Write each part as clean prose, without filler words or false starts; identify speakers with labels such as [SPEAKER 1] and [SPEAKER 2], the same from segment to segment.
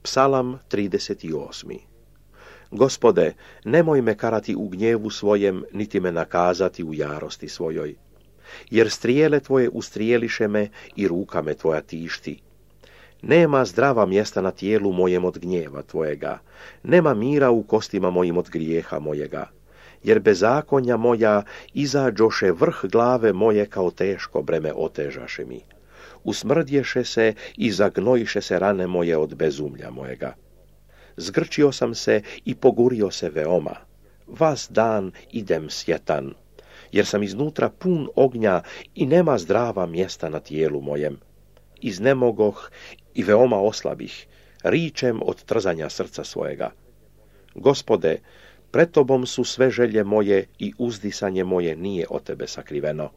[SPEAKER 1] Psalam 38. Gospode, nemoj me karati u gnjevu svojem, niti me nakazati u jarosti svojoj. Jer strijele tvoje ustrijeliše me i ruka me tvoja tišti. Nema zdrava mjesta na tijelu mojem od gnjeva tvojega, nema mira u kostima mojim od grijeha mojega. Jer bezakonja moja izađoše vrh glave moje kao teško breme otežaše mi. Usmrdješe se i zagnojiše se rane moje od bezumlja mojega. Zgrčio sam se i pogurio se veoma. Vas dan idem sjetan, jer sam iznutra pun ognja i nema zdrava mjesta na tijelu mojem. Iznemogoh i veoma oslabih, ričem od trzanja srca svojega. Gospode, pred tobom su sve želje moje i uzdisanje moje nije od tebe sakriveno.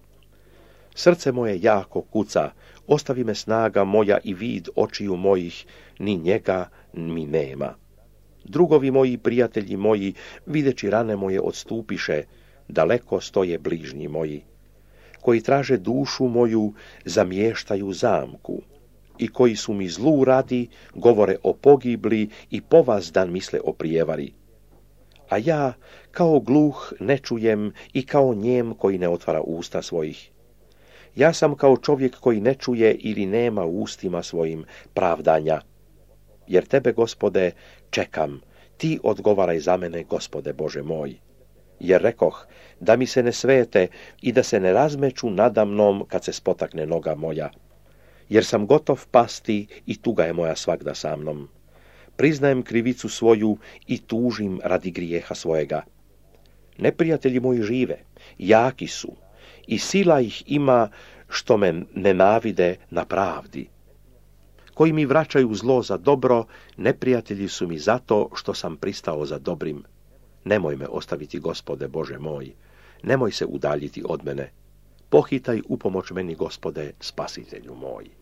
[SPEAKER 1] Srce moje jako kuca, ostavi me snaga moja i vid očiju mojih, ni njega mi nema. Drugovi moji, prijatelji moji, videći rane moje odstupiše, daleko stoje bližnji moji. Koji traže dušu moju, zamještaju zamku, i koji su mi zlu radi, govore o pogibli i povazdan misle o prijevari. A ja, kao gluh, ne čujem i kao njem koji ne otvara usta svojih. Ja sam kao čovjek koji ne čuje ili nema u ustima svojim pravdanja. Jer tebe, Gospode, čekam, ti odgovaraj za mene, Gospode Bože moj. Jer rekoh, da mi se ne svete i da se ne razmeću nadamnom kad se spotakne noga moja. Jer sam gotov pasti i tuga je moja svagda sa mnom. Priznajem krivicu svoju i tužim radi grijeha svojega. Neprijatelji moji žive, jaki su, i sila ih ima što me nenavide na pravdi. Koji mi vraćaju zlo za dobro, neprijatelji su mi zato što sam pristao za dobrim. Nemoj me ostaviti, Gospode Bože moj, nemoj se udaljiti od mene. Pohitaj upomoć meni, Gospode, spasitelju moj.